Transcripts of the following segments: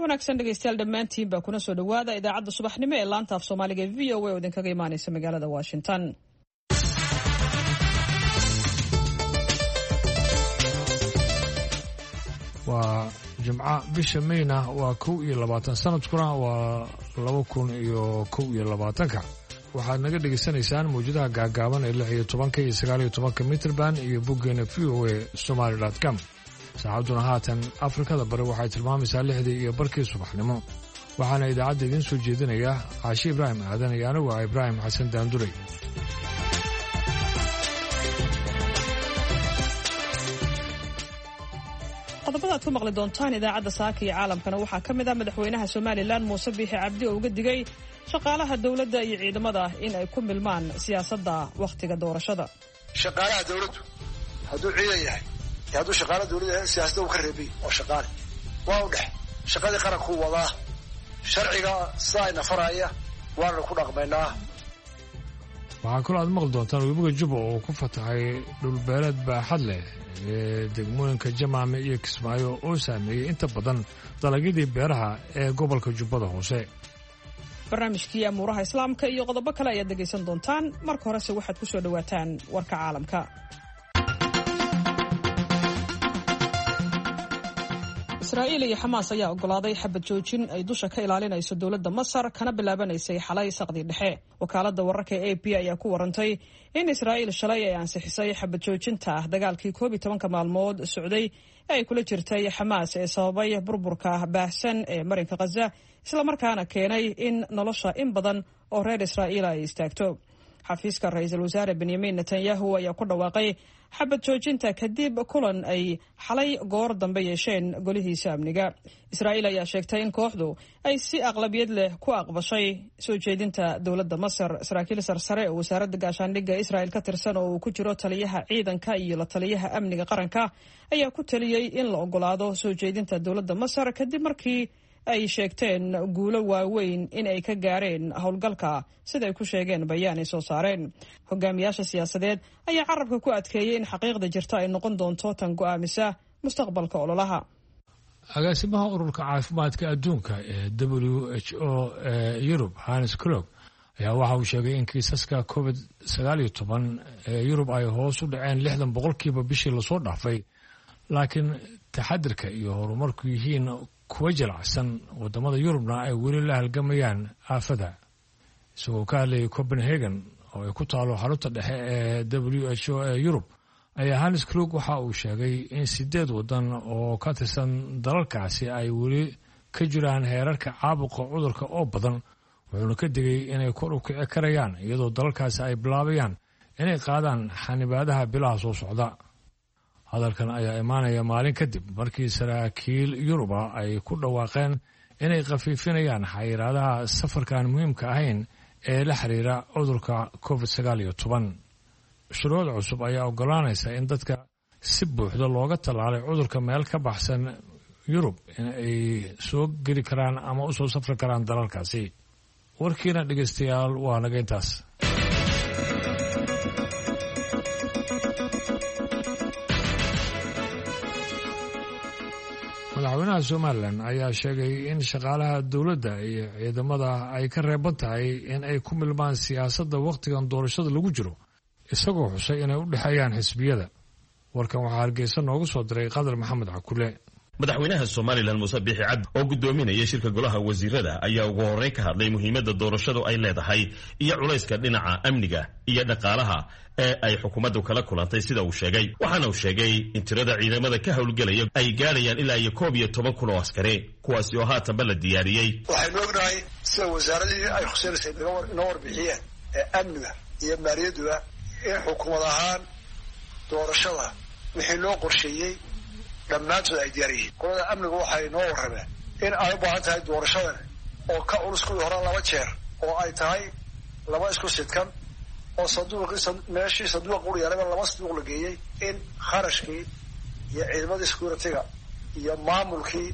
Wanaagsan dhegeystayaal dhammaantiin baa kuna soo dhowaada idaacadda subaxnimo ee laanta af Soomaaliga ee VOA oo idinkaga imaaneysa magaalada Washington. Waa Jimco, bisha Meyna waa 21, sanadkuna waa 2021-ka. Waxaad naga dhegaysanaysaan mawjadaha gaagaaban ee 16-ka iyo 19-ka mitrband iyo boggeena voasomali.com. Saacadduna haatan Afrikada Bari waxay tilmaamaysaa 6:30 subaxnimo. Waxaana idaacadda idiin soo jeedinaya Caashi Ibraahim Aadan iyo anigu ah Ibraahim Xasan Daanduray. Qodobada aad ku maqli doontaan idaacadda saaka iyo caalamkana waxaa ka mid ah madaxweynaha Somalilan Muuse Biixi Cabdi oo uga digay shaqaalaha dowladda iyo ciidamada in ay ku milmaan siyaasadda wakhtiga doorashada. Shaqaalaha dowladdu hadduu ciidan yahay iyo hadduu shaqaala dowladda yahay, siyaasadda uu ka reebay oo shaqaale waa u dhex shaqadii qarankuu wadaa, sharciga sidaa ina faraya waananu ku dhaqmaynaa. Waxaa kaloo aad maqli doontaan webiga Juba oo ku fatahay dhulbeeleed baaxad leh ee degmooyinka Jamaame iyo Kismaayo oo saameeyey inta badan dalagyadii beeraha ee gobolka Jubbada Hoose. Barnaamijkii amuuraha Islaamka iyo qodobo kale ayaad dhegaysan doontaan. Marka horese waxaad ku soo dhowaataan warka caalamka. Israa'iil iyo Xamaas ayaa oggolaaday xabad joojin ay dusha ka ilaalinayso dowladda Masar, kana bilaabanaysay xalay saqdii dhexe. Wakaaladda wararka ee AP ayaa ku warantay in Israa'iil shalay ay ansixisay xabad joojinta ah dagaalkii 11-ka maalmood socday ee ay kula jirtay Xamaas ee sababay burburka baahsan ee marinka Khaza, islamarkaana keenay in nolosha in badan oo reer Israa'iila ay istaagto. Xafiiska ra-iisul wasaare Benyamin Netanyahu ayaa ku dhawaaqay xabad joojinta kadib kulan ay xalay goor dambe yeesheen golihiisa amniga. Israa'iil ayaa sheegtay in kooxdu ay si aqlabiyad leh ku aqbashay soo jeedinta dowladda Masar. Saraakiil sarsare oo wasaaradda gaashaandhigga Israa'il ka tirsan oo uu ku jiro taliyaha ciidanka iyo la taliyaha amniga qaranka ayaa ku taliyey in la ogolaado soo jeedinta dowladda Masar kadib markii ay sheegteen guulo waaweyn in ay ka gaareen howlgalka, sida ay ku sheegeen bayaan ay soo saareen. Hogaamiyaasha siyaasadeed ayaa carabka ku adkeeyey in xaqiiqda jirta ay noqon doonto tan go'aamisa mustaqbalka ololaha. Agaasimaha ururka caafimaadka adduunka ee WHO ee Yurub, Hans Klug, ayaa waxa uu sheegay in kiisaska COVID 19 ee Yurub ay hoos u dhaceen 60% bishii lasoo dhaafay, laakiin taxadirka iyo horumarku yihiin kuwa jalacsan, wadamada Yurubna ay weli la halgamayaan aafada. Isagoo ka hadlayay Copenhagen oo ay ku taalo xarunta dhexe ee WHO ee Yurub ayaa Hans Klug waxa uu sheegay in sideed wadan oo ka tirsan dalalkaasi ay weli ka jiraan heerarka caabuqa cudurka oo badan, wuxuuna ka digay inay kor u kici karayaan iyadoo dalalkaasi ay bilaabayaan inay qaadaan xanibaadaha bilaha soo socda. Hadalkan ayaa imaanaya maalin kadib markii saraakiil Yuruba ay ku dhawaaqeen inay khafiifinayaan xayiraadaha safarkaan muhiimka ahayn ee la xiriira cudurka COVID 19. Shuruuc cusub ayaa ogolaanaysa in dadka si buuxda looga tallaalay cudurka meel ka baxsan Yurub in ay soo geli karaan ama u soo safri karaan dalalkaasi. Warkiina dhegeystayaal waa naga intaas. Madaxweynaha Somalilan ayaa sheegay in shaqaalaha dowladda iyo ciidamada ay ka reeban tahay in ay ku milmaan siyaasadda wakhtigan doorashada lagu jiro, isagoo xusay inay u dhexeeyaan xisbiyada. Warkan waxaa Hargeysa noogu soo diray Qadar Maxamed Cakule. Madaxweynaha Somalilan Muuse Biixi Cabdi oo gudoominaya shirka golaha wasiirada ayaa ugu horreyn ka hadlay muhiimadda doorashadu ay leedahay iyo culayska dhinaca amniga iyo dhaqaalaha ee ay xukuumaddu kala kulantay, sida uu sheegay. Waxaana uu sheegay in tirada ciidamada ka howlgelaya ay gaadhayaan ilaa iyo 11,000 oo askari, kuwaasi oo haatanba la diyaariyey. Waxaynu ognahay sida wasaaradihii ay khuseynaysa inoo warbixiyeen ee amniga iyo maaliyadduba in xukuumad ahaan doorashada wixii loo qorsheeyey dhammaantood ay diyaar yihiin. Qolada amnigu waxay noo warrameen in ay u baahan tahay doorashadan oo ka culus kuwii hore laba jeer, oo ay tahay laba isku sidkan oo sanduuqii meeshii sanduuqa ur yaalaba laba sanduuq la geeyey, in kharashkii iyo ciidamadii security-ga iyo maamulkii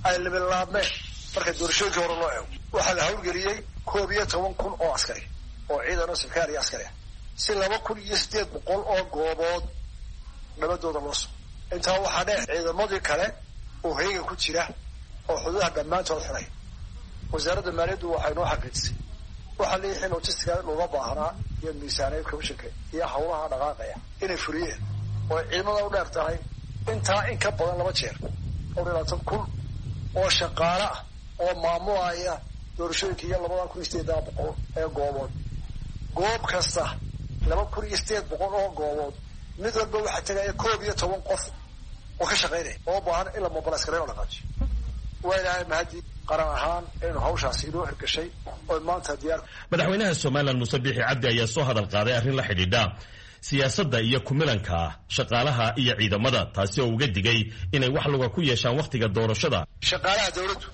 ay labilaabmeen marka doorashooyinkii hore loo eego. Waxaa la hawlgeliyey 11,000 oo askari oo ciidan oo sarkaal iyo askari ah, si 2,800 oo goobood nabadooda loo sugo. Intaa waxaa dheer ciidamadii kale oo heega ku jira. oo xuduudaha dhammaantood xidhay. Wasaaradda maaliyaddu waxay noo xaqiijisay waxaa leeyihi logistica looga baahnaa iyo miisaaniyad commissionka iyo hawlaha dhaqaaqaya inay furiyeen oo ciidamada u dheer tahay intaa in ka badan 2 jeer 22,000 oo shaqaale ah oo maamulaya doorashooyinka iyo 2,800 ee goobood. Goob kasta 2,800 oo goobood mid walba waxaa tegaya 11 qof oo ka shaqaynaya oo baahan in la mobilis gareeyo oo dhaqaajiyo. Waa ilaahay mahadi qaran ahaan inuu hawshaasi inoo hirgashay oo maanta diyaar. Madaxweynaha Somalilan Muuse Biixi Cabdi ayaa soo hadal qaaday arrin la xidhiidha siyaasadda iyo kumilanka shaqaalaha iyo ciidamada, taasi oo uga digay inay wax luga ku yeeshaan wakhtiga doorashada. Shaqaalaha dawladdu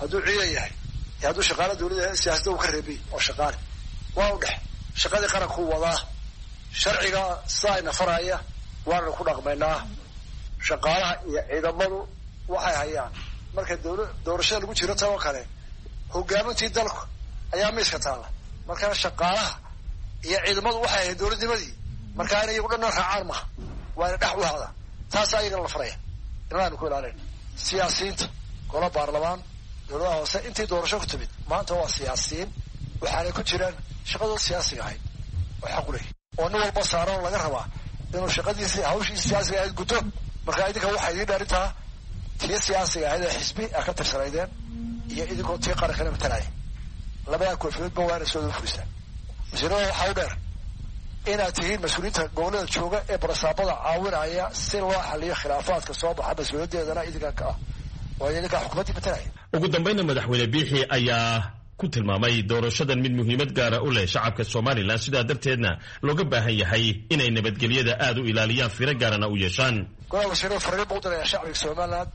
hadduu ciidan yahay iyo hadduu shaqaalaha dawladda yahay siyaasadda uu ka reebay oo shaqaale waa u dhex shaqadii qarankuu wadaa, sharciga sidaa ina faraya waananu ku dhaqmaynaa. Shaqaalaha iyo ciidamadu waxay hayaan marka doorashada lagu jiro tan oo kale hogaamintii dalku ayaa miiska taalla. Markaa shaqaalaha iyo ciidamadu waxay hayeen dowladnimadii, markaa inay iyagu dhanna raacaan maha, waa ina dhex u hada taasaa iyagana la faraya inaanu ku ilaalin. Siyaasiyiinta golo baarlamaan dowladaha hoose intii doorasho ku timid maanta waa siyaasiyiin, waxaanay ku jiraan shaqadooda siyaasiga ahayd oo xaq u leh oo nin walba saaran oo laga rabaa inuu shaqadiisi hawshiisi siyaasiga ahayd guto. Markaa idinka waxaa idiin dhaarintaa tii siyaasiga ahayd ee xisbi a ka tirsanaydeen iyo idinkoo tii qarankana matalaya, labadaa koofiyoodba waa ina soo furisaan. Wasiirada waxaa u dheer inaad tihiin mas-uuliyiinta gobollada jooga ee barasaabada caawinaya si loo xaliyo khilaafaadka soo baxa, mas-uuliyaddeedana idinka ka ah waayo idinkaa xukuumaddii matalaya. Ugu dambayna madaxweyne Biixi ayaa ku tilmaamay doorashadan mid muhiimad gaara u leh shacabka Somalilan, sidaa darteedna looga baahan yahay inay nabadgelyada aada u ilaaliyaan, firo gaarana u yeeshaan. Golaha wasiirada fariin buu u diraya shacbiga Somalilan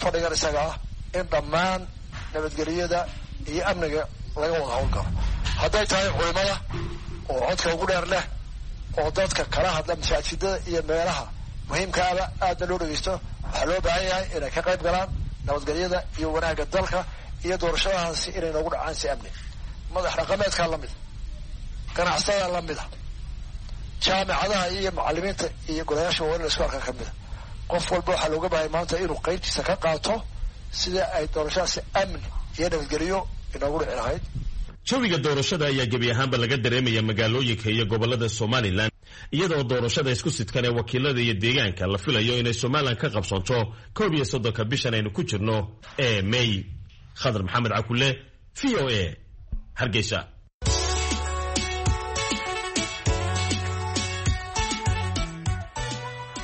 fadhigan isaga ah in dhammaan nabadgelyada iyo amniga laga wada howlgalo, hadday tahay culimada oo codka ugu dheer leh oo dadka kala hadla masaajidada iyo meelaha muhiimkaaba aadna loo dhegeysto. Waxaa loo baahan yahay inay ka qayb galaan nabadgelyada iyo wanaagga dalka iyo doorashadahaasi inay noogu dhacaan si amni. Madax dhaqameedkaa lamida, ganacsadaa lamida, jaamicadaha iyo macalimiinta iyo golayaasha waa in la isku arkaa kamida. Qof walba waxaa looga baahaya maanta inuu qaybtiisa ka qaato sida ay doorashadaasi amni iyo nabadgelyo inoogu dhici lahayd. Jawiga doorashada ayaa gebi ahaanba laga dareemaya magaalooyinka iyo gobolada Somalilan, iyadoo doorashada isku sidkan ee wakiilada iyo deegaanka la filayo inay Somalilan ka qabsoonto 31-ka bishan aynu ku jirno ee May. Khadar Maxamed Cakule, v o a, Hargeysa.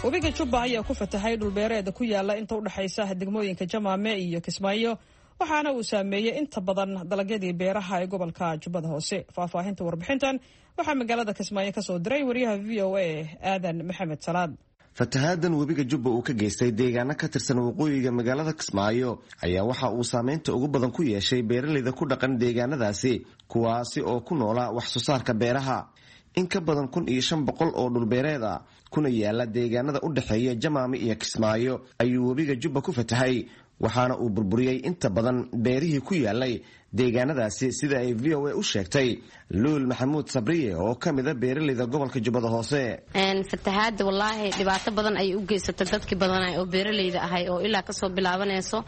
Webiga Jubba ayaa ku fatahay dhulbeereeda ku yaala inta u dhexaysa degmooyinka Jamaame iyo Kismaayo, waxaana uu saameeyey inta badan dalagyadii beeraha ee gobolka Jubbada Hoose. Faahfaahinta warbixintan waxaa magaalada Kismaayo ka soo diray wariyaha v o a Aadan Maxamed Salaad. Fatahaadan webiga Jubba uu ka geystay deegaano ka tirsan waqooyiga magaalada Kismaayo ayaa waxa uu saameynta ugu badan ku yeeshay beeraleyda ku dhaqan deegaanadaasi, kuwaasi oo ku noolaa wax soo saarka beeraha. In ka badan 1,500 oo dhulbeereed ah kuna yaala deegaanada u dhexeeya Jamaame iyo Kismaayo ayuu webiga Jubba ku fatahay, waxaana uu burburiyey inta badan beerihii ku yaalay deegaanadaasi, sida ay v o a u sheegtay Luul Maxamuud Sabriye oo ka mida beeraleyda gobolka Jubbada Hoose. Fatahaada wallaahi dhibaato badan ayay u geysatay dadkii badanay oo beeraleyda ahay oo ilaa kasoo bilaabanayso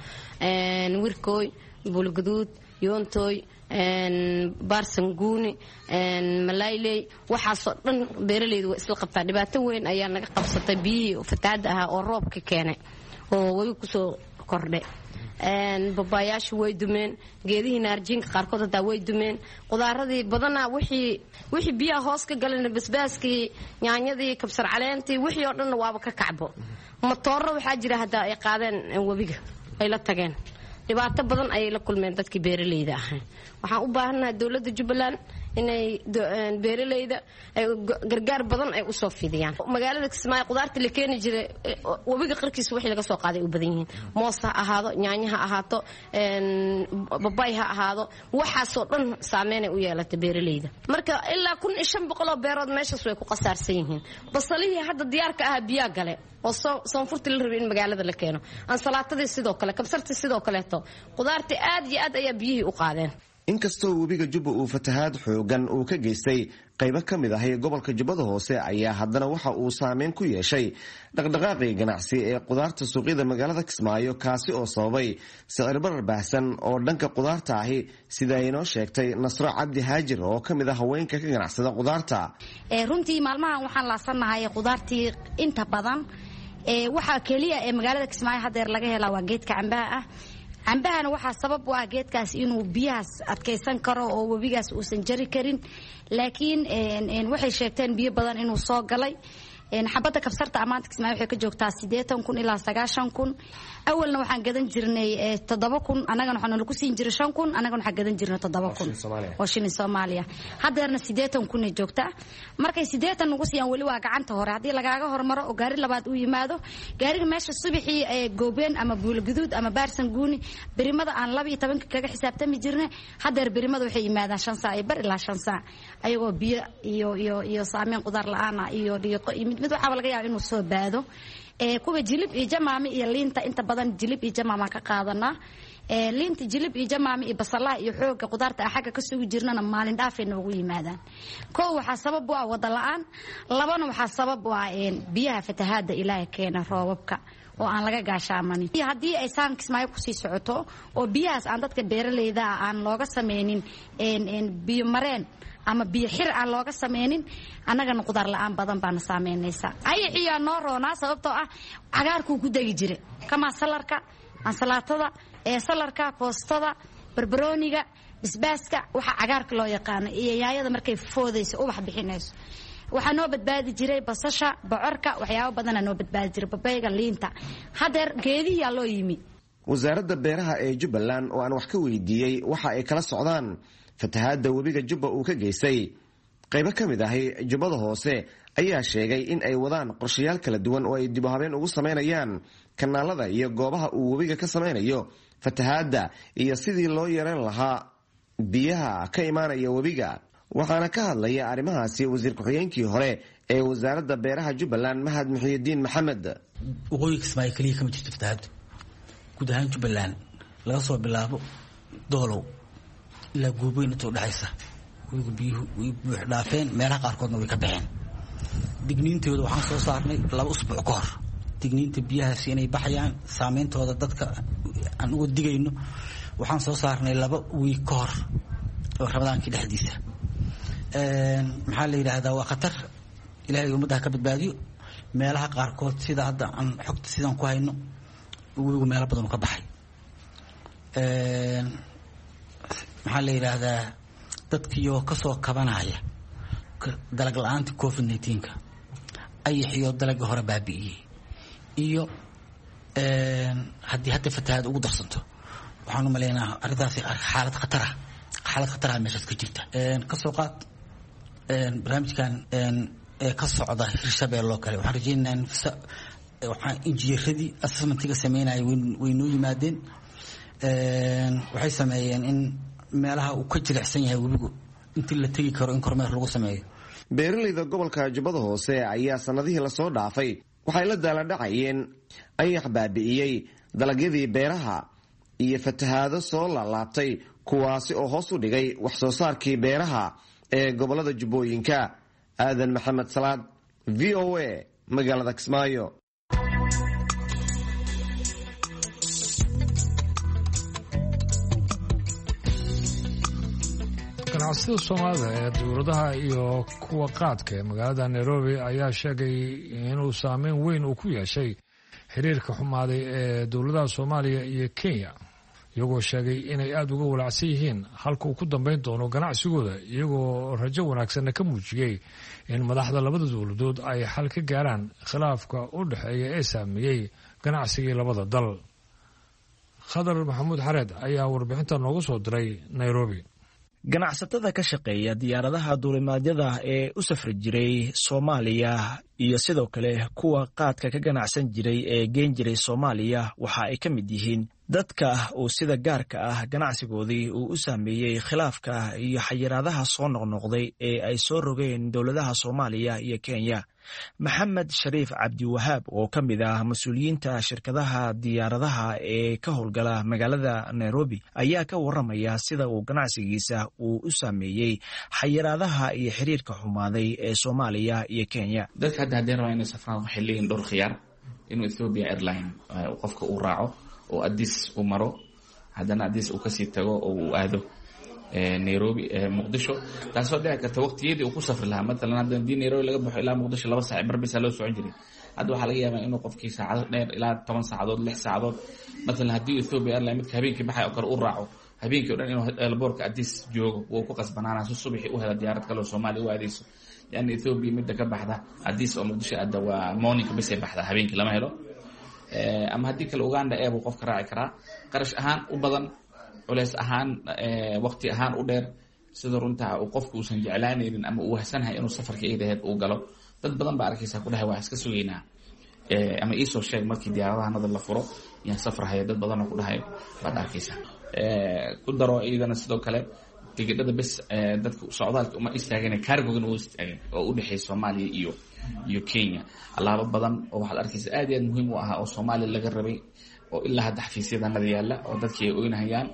Wirkooy, Buulguduud, Yoontooy, Baarsanguuni, Malayley, waxaasoo dhan beeraleydu waa isla qabtaa. Dhibaato weyn ayaa naga qabsatay biyihii fatahaada ahaa oo roobka keenay oo webi kusoo kordhay. Babaayaashu way dumeen, geedihii naarjiinka qaarkood hataa way dumeen, qudaaradii badanaa wixii biyaha hoos ka galan, basbaaskii, yaanyadii, kabsar caleentii, wixii oo dhanna waaba ka kacbo. Matooro waxaa jira hataa ay qaadeen webiga ay la tageen. Dhibaato badan ayay la kulmeen dadkii beeraleyda ahaa. Waxaan u baahannahay dowladda Jubbaland inay beeraleyda gargaar badan ay usoo fidiyaan. Magaalada Kismaayo qudaarta la keeni jiray webiga qarkiisa wixii laga soo qaaday u badan yihiin. Moos ha ahaado, yaanyo ha ahaato, babay ha ahaado, waxaasoo dhan saameynay u yeelatay beeraleyda. Marka ilaa 1,500 oo beerood meeshaas way ku qasaarsan yihiin. Basalihii hadda diyaarka ahaa biyaa gale oo soonfurtii la rabay in magaalada la keeno, ansalaatadii sidoo kale, kabsartii sidoo kaleeto, qudaartii aad iyo aad ayaa biyihii u qaadeen. Inkastoo webiga Jubba uu fatahaad xoogan uu ka geystay qaybo ka mid ahi gobolka Jubbada Hoose, ayaa haddana waxa uu saameyn ku yeeshay dhaqdhaqaaqii ganacsi ee qudaarta suuqyada magaalada Kismaayo, kaasi oo sababay sicir barar baahsan oo dhanka qudaarta ahi, sida ay inoo sheegtay Nasro Cabdi Haajir oo ka mid ah haweenka ka ganacsada qudaarta. Runtii maalmahan waxaan laasannahay qudaartii inta badan. Waxaa keliya ee magaalada Kismaayo hadeer laga helaa waa geedka cambaha ah. Cambahana waxaa sabab u ah geedkaas inuu biyahaas adkaysan karo oo webigaas uusan jari karin, laakiin waxay sheegteen biyo badan inuu soo galay. Xabadda kabsarta amaanta Kismaayo waxay ka joogtaa 80,000 ilaa 90,000. Awalna waxaan gadan jirnay 7,000, annagana waxaa nalagu siin jiray 5,000, annagana waxaan gadan jirnay 7,000 oo shilin Soomaaliya. Haddeerna 80,000 ay joogtaa. Markay 80 nagu siiyaan weli waa gacanta hore. Haddii lagaaga hormaro oo gaari labaad uu yimaado, gaariga meesha subaxii ee Goobeen ama Buulogaduud ama Baarsan Guuni berimada aan 12 kaga xisaabtami jirnay, haddeer berimada waxay yimaadaan 5 saac iyo bar ilaa 5 saac, ayagoo biyo iyo iyo iyo saameyn qudaar la-aan ah iyo dhiiqo iyo mid mid waxaaba laga yaaba inuu soo baado. Kuwa Jilib iyo Jamaame iyo liinta, inta badan Jilib iyo Jamaama ka qaadanaa. Liinta Jilib iyo Jamaame iyo basalaha iyo xooga qudaarta xagga ka sugi jirnana maalin dhaafay noogu yimaadaan. Kow waxaa sabab u ah wada la-aan, labana waxaa sabab u ah biyaha fatahaada Ilaahay keena, roobabka oo aan laga gaashaamanin. Haddii ay saan Kismaayo kusii socoto oo biyahaas aan dadka beeraleyda ah aan looga sameynin biyo mareen ama biyo xir aan looga sameynin, annagana qudaar la-aan badan baana saameynaysa. Ayaxiyaa noo roonaa, sababtoo ah cagaarkuu ku degi jira kamaa salarka, ansalaatada, salarka, koostada, barbarooniga, basbaaska, waxa cagaarka loo yaqaano, iyo yaayada markay foodayso ubax bixinayso. Waxaa noo badbaadi jiray basasha, bocorka, waxyaabo badana noo badbaadi jiray, babayga, liinta. Hadeer geedihiyaa loo yimi. Wasaaradda beeraha ee Jubbaland oo aan wax ka weydiiyey waxa ay kala socdaan fatahaadda webiga Jubba uu ka geystay qaybo ka mid ahi Jubbada Hoose ayaa sheegay in ay wadaan qorshayaal kala duwan oo ay dib u habeen ugu samaynayaan kanaalada iyo goobaha uu webiga ka samaynayo fatahaadda iyo sidii loo yareyn lahaa biyaha ka imaanaya webiga. Waxaana ka hadlaya arrimahaasi wasiir ku-xigeenkii hore ee wasaaradda beeraha Jubbaland, Mahad Muxiyidiin Maxamed. Waqooyiga Kismaayo keliya kama jirto fatahaaddu, guud ahaan Jubbaland laga soo bilaabo Doolow ilaa Goobeyn inta udhexaysa webigu biyuhu way buux dhaafeen, meelaha qaarkoodna way ka baxeen. Digniintooda waxaan soo saarnay 2 usbuuc ka hor, digniinta biyahaasi inay baxayaan saameyntooda dadka aan uga digayno waxaan soo saarnay 2 wiig ka hor oo Ramadaankii dhexdiisa. Maxaa la yidhaahdaa, waa khatar, Ilaahay ummaddaha ka badbaadiyo. Meelaha qaarkood sida hadda aan xogta sidaan ku hayno, webigu meelo badan uu ka baxay. Maxaa la yidhaahdaa, dadkiioo kasoo kabanaya dalag la-aanta COVID-19-ka, ayaxiyo dalagii hore baabi'iyey, iyo haddii hadda fatahaad ugu darsanto, waxaan u maleynaha arrintaasi xaalad khatara, xaalad khataraha meeshaas ka jirta. Kasoo qaad barnaamijkan ee ka socda Hirshabeelle oo kale, waxaan rajeynaynaa in waxaan injineeradii assessmentiga sameynaya way noo yimaadeen. Waxay sameeyeen in meelaha uu ka jilicsan yahay webigu intii la tegi karo in kormeer lagu sameeyo. Beeralayda gobolka Jubbada Hoose ayaa sanadihii lasoo dhaafay waxay la daaladhacayeen ayax baabi'iyey dalagyadii beeraha iyo fatahaado soo laalaabtay, kuwaasi oo hoos u dhigay wax soo saarkii beeraha ee gobolada Jubbooyinka. Aadan Maxamed Salaad, V O A, magaalada Kismaayo. Ganacsida Soomaalida ee dowladaha iyo kuwa qaadka ee magaalada Nairobi ayaa sheegay inuu saameyn weyn uu ku yeeshay xiriirka xumaaday ee dowladaha Soomaaliya iyo Kenya, iyagoo sheegay inay aada uga walaacsan yihiin halka uu ku dambeyn doono ganacsigooda, iyagoo rajo wanaagsanna ka muujiyey in madaxda labada dowladood ay xal ka gaaraan khilaafka u dhexeeya ee saameeyey ganacsigii labada dal. Khadar Maxamuud Xareed ayaa warbixinta noogu soo diray Nairobi. Ganacsatada ka shaqeeya diyaaradaha duulimaadyada ee u safri jiray Soomaaliya iyo sidoo kale kuwa qaadka ka ganacsan jiray ee geen jiray Soomaaliya waxa ay ka mid yihiin Dadka uu sida gaarka ah ganacsigoodii uu u saameeyey khilaafka iyo xayiraadaha soo noqnoqday ee ay soo rogeen dowladaha Soomaaliya iyo Kenya. Maxamed Shariif Cabdiwahaab oo ka mid ah mas-uuliyiinta shirkadaha diyaaradaha ee ka howlgala magaalada Nairobi ayaa ka waramaya sida uu ganacsigiisa uu u saameeyey xayiraadaha iyo xiriirka xumaaday ee Soomaaliya iyo Kenya. Dadka hadda haddii rabaa inay safraan waxay leeyihin dhowr khiyaar: inuu Ethiopia Airline qofka uu raaco oo Addis u maro, haddana Addis uu kasii tago oo uu aado Nairobi, Muqdisho, taasoo dhici karta waqtiyadii uu ku safri lahaa. Matalan, hadda hadii Nairobi laga baxo ilaa Muqdisho 2 saac barbisa loo socon jiray, hadda waxaa laga yaabaa inuu qofkii saacado dheer, ilaa 10 saacadood, 6 saacadood. Matalan, haddii Ethiopia Airline midka habeenkii baxay oo kale u raaco, habeenkii o dhan inuu airportka Addis joogo wuu ku qasbanaana si subaxii u hela diyaarad kale oo Soomaaliya u aadeyso, lianna Ethiopia midda ka baxda Addis oo Muqdisho aada waa morningka bisay baxda, habeenkii lama helo. Ama haddii kale Uganda Air buu qofka raaci karaa, qarash ahaan u badan, culeys ahaan, waqti ahaan u dheer, sida runtaa uu qofku uusan jeclaanaynin ama uu wahsanahay inuu safarka idaheed uu galo. Dad badan baa arkaysaa ku dhahay: "Waa iska sugaynaa ama iisoo sheeg markii diyaaradaha nada la furo yaan safrahaya." Dad badanoo ku dhahay baad arkaysaa. Ku daro iyadana sidoo kale tigidhada bes dadka socdaalka uma istaageen, cargogana wuu istaageen oo u dhexeeya Soomaaliya iyo Kenya. Alaabo badan oo waxaad arkaysa aad iyo aad muhiim u ahaa oo Soomaaliya laga rabay oo ilaa hadda xafiisyadanada yaalla oo dadkii ay oynahayaan,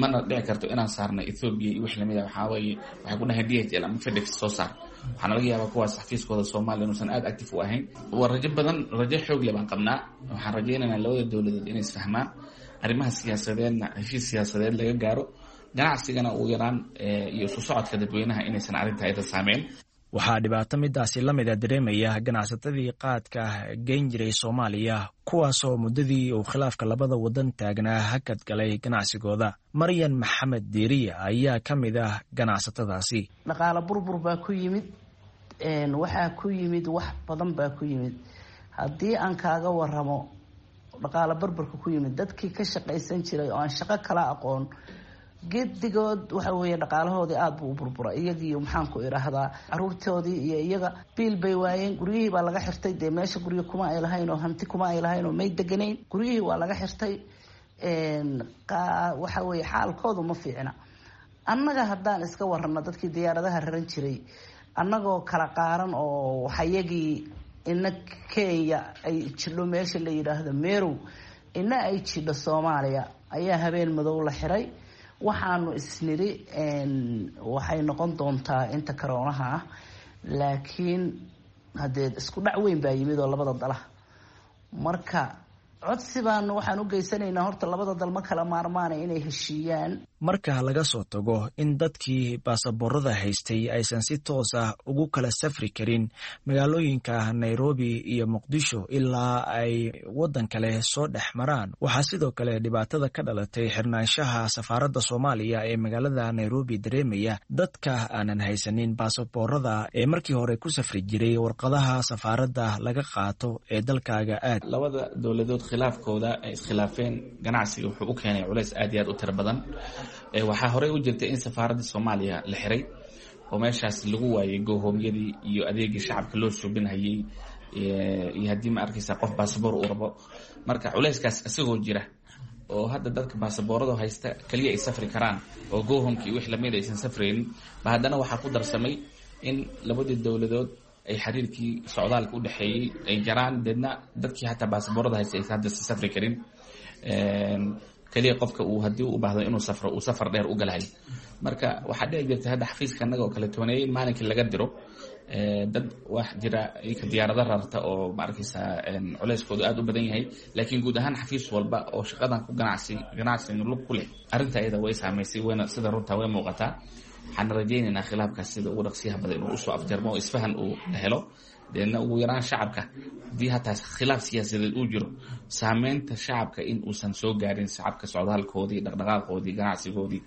mana dhici karto inaan saarna Ethiopia iyo wix lamid ah. Waxaa weeye waxay ku dhahayn DHL ama FedEx soo saar. Waxaana laga yaabaa kuwaas xafiiskooda Soomaaliya inuusan aad active u ahayn. Waa rajo badan, rajo xoog leh baan qabnaa. Waxaan rajaynaynaa labada dowladood inay isfahmaan, arrimaha siyaasadeedna heshiis siyaasadeed laga gaaro, ganacsigana uu yaraan iyo isu socodka dadweynaha inaysan arrinta ayada saameyn. Waxaa dhibaato midaasi la mida dareemaya ganacsatadii qaadka geyn jiray Soomaaliya, kuwaasoo muddadii uu khilaafka labada waddan taagnaa hakad galay ganacsigooda. Maryan Maxamed Diiriya ayaa ka mid ah ganacsatadaasi. Dhaqaalo burbur baa ku yimid, waxaa ku yimid wax badan baa ku yimid. Haddii aan kaaga waramo dhaqaalo burburka ku yimid, dadkii ka shaqaysan jiray oo aan shaqo kala aqoon gedigood waxa weeye dhaqaalahoodii aada buu u burbura. Iyagii, maxaan ku idhaahdaa, caruurtoodii iyo iyaga biil bay waayeen. Guryihii baa laga xirtay. Dee meesha guryo kuma ay lahayn oo hanti kuma ay lahayn oo may deganayn, guryihii waa laga xirtay. Waxa weeye xaalkoodu ma fiicna. Annaga haddaan iska warano, dadkii diyaaradaha raran jiray, annagoo kala qaaran oo waxayagii ina Kenya ay jidho meesha la yidhaahdo Merow, ina ay jidho Soomaaliya, ayaa habeen madow la xiray. Waxaanu isniri waxay noqon doontaa inta karoonaha ah, laakiin haddee isku dhac weyn baa yimid oo labada dala. Marka codsi baanu waxaan u geysanaynaa, horta labada dal ma kala maarmaana inay heshiiyaan. Marka laga soo tago in dadkii baasaboorada haystay aysan si toos ah ugu kala safri karin magaalooyinka Nairobi iyo Muqdisho ilaa ay waddan kale soo dhex maraan, waxaa sidoo kale dhibaatada ka dhalatay xirnaanshaha safaaradda Soomaaliya ee magaalada Nairobi dareemaya dadka aanan haysanin baasaboorada ee markii hore ku safri jiray warqadaha safaaradda laga qaato ee dalkaaga aad. Labada dowladood khilaafkooda ay iskhilaafeen ganacsiga wuxuu u keenay culays aad iyo aad u tiro badan. Waxaa horey u jirtay in safaaradda Soomaaliya la xiray oo meeshaas lagu waayay gohoomyadii iyo adeegii shacabka loo suubinhayay, iyo haddii ma arkaysa qof baasaboor uu rabo. Marka culayskaas isagoo jira oo hadda dadka baasaboorada haysta kaliya ay safri karaan oo gohomka iyo wix lamid aysan safraynin ba, haddana waxaa ku darsamay in labadii dowladood ay xiriirkii socdaalka u dhexeeyey ay jaraan, deedna dadkii hataa baasaboorada haysta aysan hadda safri karin. Kaliya qofka uu haddii u baahdo inuu safro uu safar dheer u galahay. Marka waxaa dhici jirtay hadda xafiiska annaga oo kale tooneeyay in maalinkii laga diro dad wax jira ika diyaarado rarta oo ma arkaysaa culeyskoodu aada u badan yahay. Laakiin guud ahaan xafiis walba oo shaqadan ku ganacsi ganacsiga lug ku leh arrinta ayada way saamaysay, wayna sida runtaa way muuqataa. Waxaan rajaynaynaa khilaafkaas sida ugu dhaqsiyaha badan inuu usoo afjarmo oo isfahan uu helo, deedna ugu yaraan shacabka haddii hataa khilaaf siyaasadeed uu jiro, saameynta shacabka in uusan soo gaarin, shacabka socdaalkoodii, dhaqdhaqaaqoodii, ganacsigoodii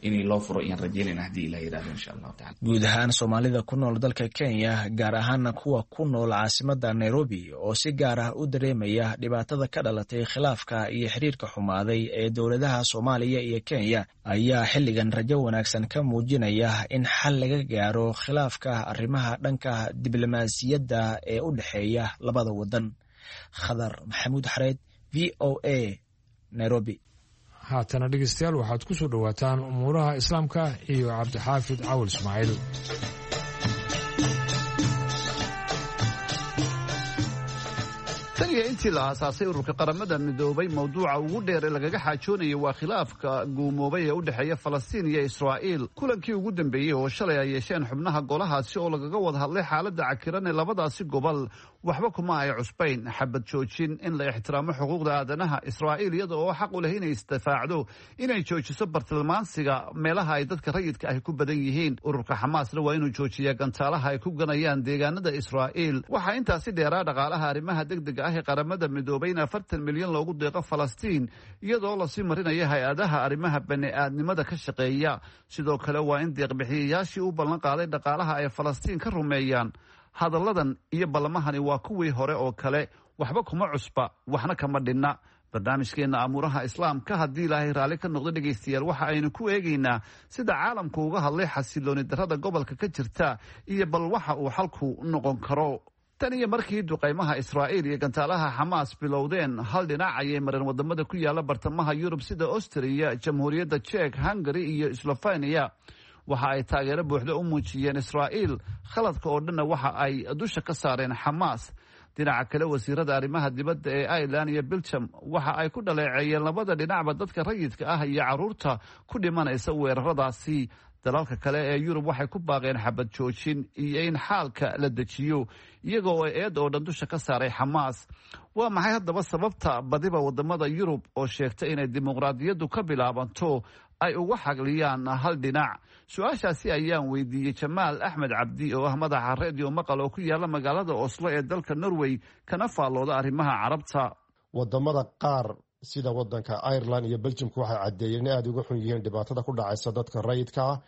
inay loo furo ayaan rajaynayna haddii Ilah yidhahdo, insha Allahu tacala. Guud ahaan Soomaalida ku nool dalka Kenya, gaar ahaana kuwa ku nool caasimadda Nairobi oo si gaar ah u dareemaya dhibaatada ka dhalatay khilaafka iyo xiriirka xumaaday ee dowladaha Soomaaliya iyo Kenya, ayaa xilligan rajo wanaagsan ka muujinaya in xal laga gaaro khilaafka arrimaha dhanka diblomaasiyadda ee u dhexeeya labada waddan. Khadar Maxamuud Xareed, VOA, Nairobi. Haatana dhegeystayaal, waxaad ku soo dhowaataan umuuraha islaamka iyo Cabdixaafid Cawil Ismaaciil. Tan iyo intii la aasaasay ururka Qaramada Midoobay, mowduuca ugu dheer ee lagaga xaajoonayay waa khilaafka guumoobay ee u dhexeeya Falastiin iyo Israa'iil. Kulankii ugu dambeeyey oo shalay ay yeesheen xubnaha golahaasi oo lagaga wada hadlay xaaladda cakiran ee labadaasi gobol, waxba kuma ay cusbayn: xabad joojin, in la ixtiraamo xuquuqda aadanaha, Israa'iil iyada oo xaq u leh inay isdifaacdo inay joojiso bartilmaansiga meelaha ay dadka rayidka ahi ku badan yihiin, ururka Xamaasna waa inuu joojiyaa gantaalaha ay ku ganayaan deegaanada Israa'iil. Waxaa intaasi dheeraa dhaqaalaha arrimaha degdega ah ee Qaramada Midoobay in 40 milyan loogu deeqo Falastiin, iyadoo lasii marinaya hay-adaha arrimaha bani-aadnimada ka shaqeeya. Sidoo kale waa in deeqbixiyayaashii u ballan qaaday dhaqaalaha ay Falastiin ka rumeeyaan. Hadalladan iyo ballamahani waa kuwii hore oo kale, waxba kuma cusba, waxna kama dhinna. Barnaamijkeenna amuuraha islaamka, haddii Ilaahay raalli ka noqdo, dhegaystayaal, waxa aynu ku eegaynaa sida caalamku uga hadlay xasilooni darrada gobolka ka jirta iyo bal waxa uu xalku noqon karo. Tan iyo markii duqaymaha Israa'iil iyo gantaalaha Xamaas bilowdeen, hal dhinac ayay mareen wadamada ku yaala bartamaha Yurub, sida Austria, Jamhuuriyadda Jek, Hungary iyo Slovenia. Waxa ay taageero buuxda u muujiyeen Israa'iil, khaladka oo dhanna waxa ay dusha ka saareen Xamaas. Dhinaca kale, wasiirada arrimaha dibadda ee Ireland iyo Belgium waxa ay ku dhaleeceeyeen labada dhinacba dadka rayidka ah iyo carruurta ku dhimanaysa weeraradaasi. Dalalka kale ee Yurub waxay ku baaqeen xabad joojin iyo in xaalka la dejiyo, iyaga oo eed oo dhan dusha ka saaray Xamaas. Waa maxay haddaba sababta badiba wadamada Yurub oo sheegta inay dimuqraadiyaddu ka bilaabanto ay uga xagliyaan hal dhinac? Su-aashaasi ayaan weydiiyey Jamaal Axmed Cabdi oo ah madaxa Redio Maqal oo ku yaala magaalada Oslo ee dalka Norway, kana faallooda arrimaha Carabta. Wadamada qaar sida wadanka Ireland iyo Beljimka waxay caddeeyeen in aada uga xun yihiin dhibaatada ku dhacaysa dadka rayidka ah,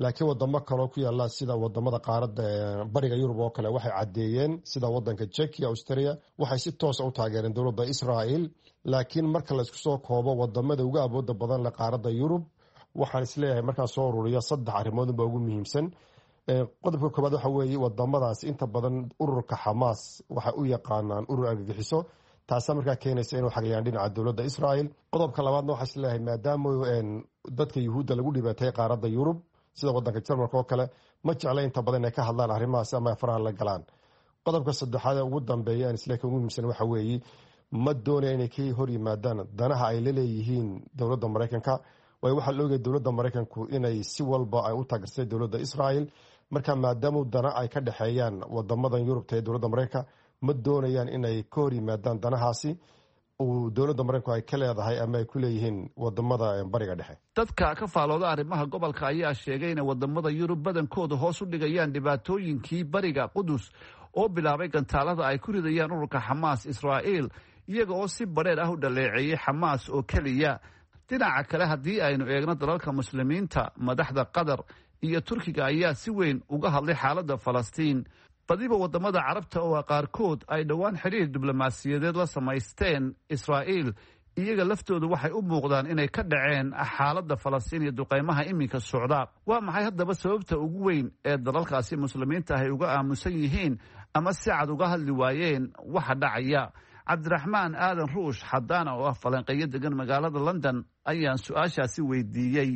laakiin wadamo kaloo ku yaala sida wadamada qaaradda bariga Yurub oo kale waxay caddeeyeen, sida wadanka Jekiya, Austria, waxay si toosa u taageereen dowladda Israel. Laakiin marka laysku soo koobo wadamada ugu awooda badan leh qaaradda Yurub, waxaan isleeyahay markaa soo ururiya saddex arrimood unbaa ugu muhiimsan. Qodobka koobaad waxa weeye, wadamadaas inta badan ururka Xamaas waxay u yaqaanaan urur argagixiso, taasaa markaa keenaysa inuu xagliyaan dhinaca dowladda Israel. Qodobka labaadna waxaa isleeyahay, maadaama dadka Yuhuudda lagu dhibaatay qaaradda Yurub, sida wadanka Jarmalka oo kale, ma jecla inta badan inay ka hadlaan arrimahaas ama faraha la galaan. Qodobka saddexaad ee ugu dambeeya aan isleeyahay ugu muhiimsan waxa weeye, ma doonaya inay ka hor yimaadaan danaha ay la leeyihiin dowladda Maraykanka, waayo waxaa la ogaya dowladda Maraykanku inay si walba ay u taageertay dowladda Israel. Marka maadaama dana ay ka dhexeeyaan wadamadan Yurubta ee dowladda Maraykanka, ma doonayaan inay ka hor yimaadaan danahaasi uu dowladda Maraykanku ay ka leedahay ama ay ku leeyihiin wadamada Bariga Dhexe. Dadka ka faalooda arrimaha gobolka ayaa sheegay inay wadamada Yurub badankooda hoos u dhigayaan dhibaatooyinkii bariga Qudus oo bilaabay gantaalada ay ku ridayaan ururka Xamaas Israa'iil, iyaga oo si badheer ah u dhaleeceeyey Xamaas oo keliya. Dhinaca kale, haddii aynu eegno dalalka Muslimiinta, madaxda Qatar iyo Turkiga ayaa si weyn uga hadlay xaaladda Falastiin. Badiba wadamada Carabta oo qaarkood ay dhowaan xidhiir diblomaasiyadeed la samaysteen Israa'iil, iyaga laftoodu waxay u muuqdaan inay ka dhaceen xaaladda Falastiin iyo duqaymaha iminka socda. Waa maxay haddaba sababta ugu weyn ee dalalkaasi Muslimiinta ay uga aamusan yihiin ama si cad uga hadli waayeen waxa dhacaya? Cabdiraxmaan Aadan Ruush Xadaana oo ah falanqeeyo degan magaalada London ayaan su-aashaasi weydiiyey.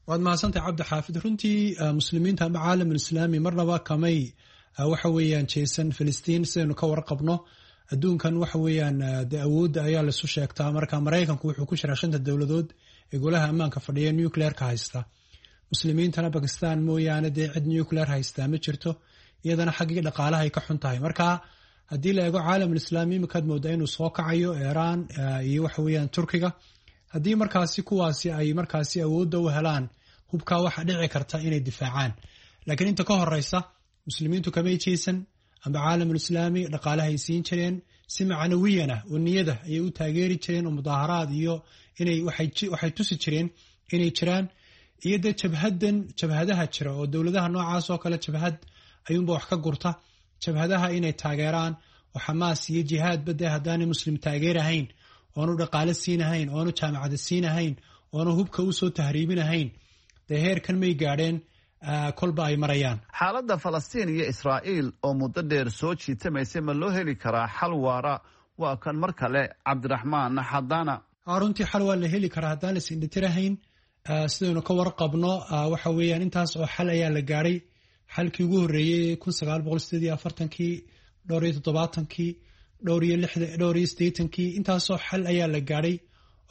Waad mahadsantahay, Cabdi Xaafid. Runtii Muslimiinta ama caalamul Islaami marnaba kamay waxa weeyaan jeesan Filistiin. Sidaynu ka warqabno, adduunkan waxa weeyaan dee awoodda ayaa laisu sheegtaa. Marka Maraykanku wuxuu ku jiraa shanta dowladood ee golaha ammaanka fadhiya nuclearka haysta. Muslimiintana Bakistan mooyaane dee cid nuclear haystaa ma jirto, iyadana xaggii dhaqaalahay ka xun tahay. Marka haddii la eego caalamul Islaami, iminkaad moodaa inuu soo kacayo Iiraan iyo waxa weeyaan Turkiga. Haddii markaasi kuwaasi ay markaasi awoodda u helaan hubkaa, waxa dhici karta inay difaacaan. Laakiin inta ka horeysa Muslimiintu kamay jeesan amba caalamul Islaami, dhaqaalahay siin jireen si macnawiyana oo niyada ayay u taageeri jireen, oo mudaaharaad iyo inay waxay tusi jireen inay jiraan, iyo dee jabhadan, jabhadaha jira oo dowladaha noocaas oo kale, jabhad ayuunba wax ka gurta, jabhadaha inay taageeraan oo Xamaas iyo jihaadba dee haddaanay Muslim taageerahayn, oonu dhaqaale siinahayn, oonu jaamacada siinahayn, oonu hubka usoo tahriibinahayn, dee heerkan may gaadheen kolba ay marayaan. Xaaladda Falastiin iyo Israa'iil oo muddo dheer soo jiitamaysay, ma loo heli karaa xal waara? Waa kan mar kale Cabdiraxmaan Xadaana. Runtii xal waa la heli karaa haddaan la isindhitirahayn. Sidaynu ka warqabno, waxa weeyaan intaas oo xal ayaa la gaadhay. Xalkii ugu horreeyey 1948-kii, dhowr iyo 70-kii, dhowr iyo lixdan, dhowr iyo 80-kii, intaasoo xal ayaa la gaadhay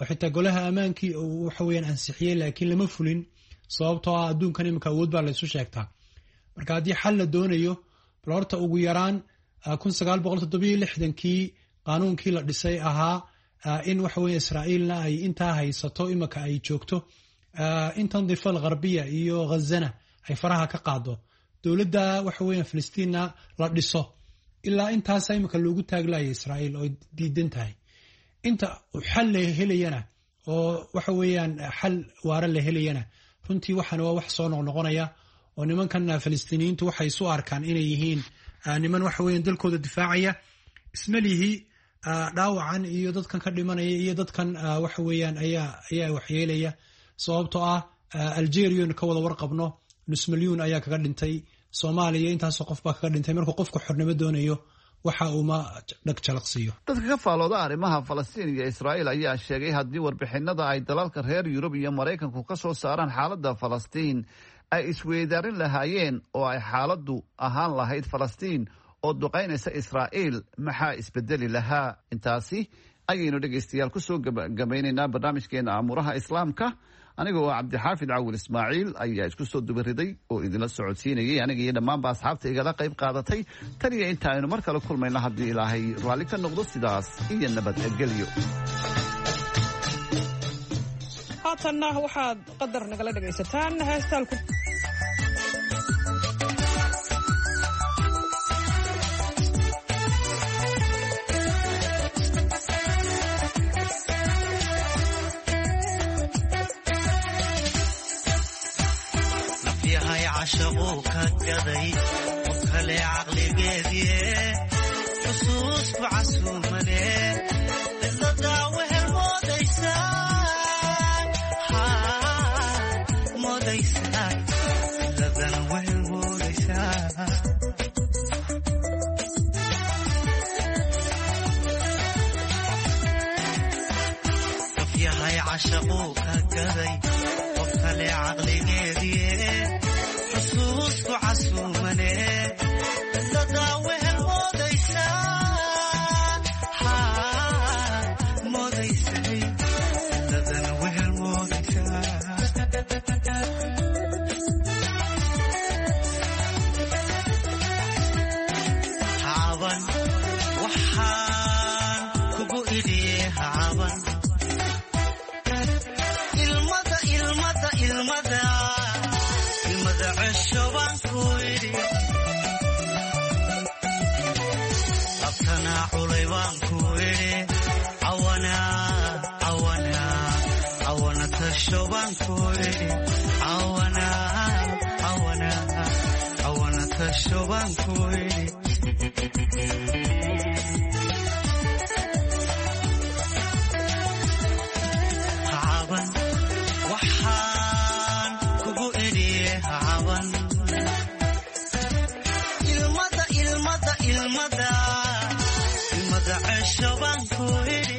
oo xitaa golaha ammaankii uu waxa weeyaan ansixiyey, laakiin lama fulin, sababtoo ah adduunkan iminka awood baa laysu sheegtaa. Marka haddii xal la doonayo, bal horta ugu yaraan 1967-kii qaanuunkii la dhisay ahaa in waxa weeye Israa'iilna ay intaa haysato iminka ay joogto, intan Difa Algharbiya iyo Ghazana ay faraha ka qaado, dowladda waxa weeyaan Filistiinna la dhiso. Ilaa intaasa iminka loogu taaglaaya Israa'iil oo diidan tahay. Inta xal la helayana oo waxa weeyaan xal waara la helayana, runtii waxaan waa wax soo noqnoqonaya, oo nimankan Filistiiniyiintu waxay isu arkaan inay yihiin niman waxa weeyaan dalkooda difaacaya. Ismalihi dhaawacan iyo dadkan ka dhimanaya iyo dadkan waxa weeyaan ayaa waxyeelaya, sababtoo ah Algerian ka wada warqabno nus milyuun ayaa kaga dhintay, Soomaaliya intaasoo qof baa kaga dhintay. Markuu qofku xornimo doonayo waxa uuma dhag jalaqsiiyo. Dadka ka faalooda arrimaha Falastiin iyo Israa'iil ayaa sheegay haddii warbixinada ay dalalka reer Yurub iyo Maraykanku ka soo saaraan xaaladda Falastiin ay isweydaarin lahaayeen, oo ay xaaladdu ahaan lahayd Falastiin oo duqaynaysa Israa'iil, maxaa isbedeli lahaa? Intaasi ayaynu dhegaystayaal kusoo gabagabaynaynaa barnaamijkeena Amuuraha Islaamka. Aniga oo Cabdixaafid Cawil Ismaaciil ayaa isku soo dubariday oo idinla socodsiinayay, aniga iyo dhammaanba asxaabta igala qayb qaadatay. Tan iyo inta aynu mar kale kulmayno, haddii Ilaahay raalli ka noqdo, sidaas iyo nabadgelyo. Haatanna waxaad qadar nagala dhagaysataan heestaalku. Nafyahay cashaquu ka gaday qof kale caqligeediye, xusuusku casuumane cidladaa wehel moodaysaa, moodaysaa, cidladana wehel moodaysaa. Nafyahay cashaquu ka gaday qof kale caqligeediye, xusuusku casuumane cidladaa wehel moodaysaa, moodaysay, cidladana wehel moodaysaa. Hacaban waxaan kugu idhiye, hacaban ilmada, ilmada, ilmada, ilmada cesho baan ku idhi, labtana culay baan ku idhi, cawana, cawana, cawana tasho baan ku idhi, cawana, cawana, cawana tasho baan ku idhi. Hacaban waxaan kugu idhiye, hacaban ilmada, ilmada, ilmada, ilmada cesho baan ku idhi,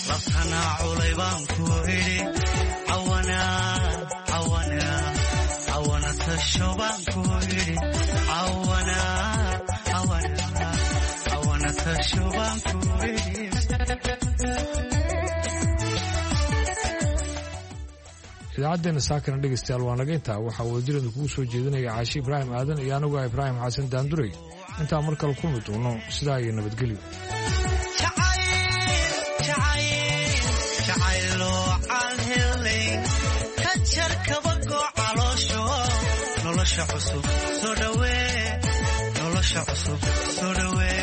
labtana culay baan ku idhi, cawana, cawana, cawana tasho baan ku idhi, cawana, cawana, cawana tasho baan ku idhi. Idaacaddeena saakana dhegaystayaal waa naga intaa. Waxaa wadajireedu kugu soo jeedinaya Caashi Ibraahim Aadan iyo anigu ah Ibraahim Xasan Daanduray. Intaa mar kale kulmi doono, sidaa iyo nabadgelyo. Jacayloo calhelay ka jar kabagoo caloosho, nolosha cusub soo dhawee, nolosha cusub soo dhawee,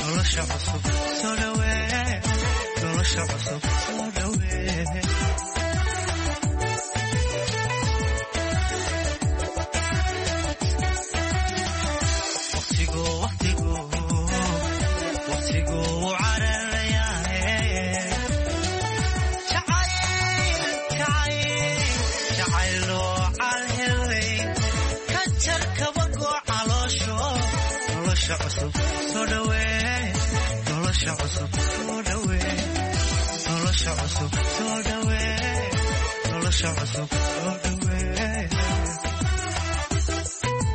nolosha cusub soo dhawee, nolosha cusub soo dhawee. Waqtigu, waqtigu, waqtigu wuu cararayaaye. Jacayl, jacayl, jacayloo calhelay ka jar kabagoo caloosho, nolosha cusub soo dhawee, nolosha Nolosha cusub soo dhawee, nolosha cusub soo dhawee, nolosha cusub soo dhawee.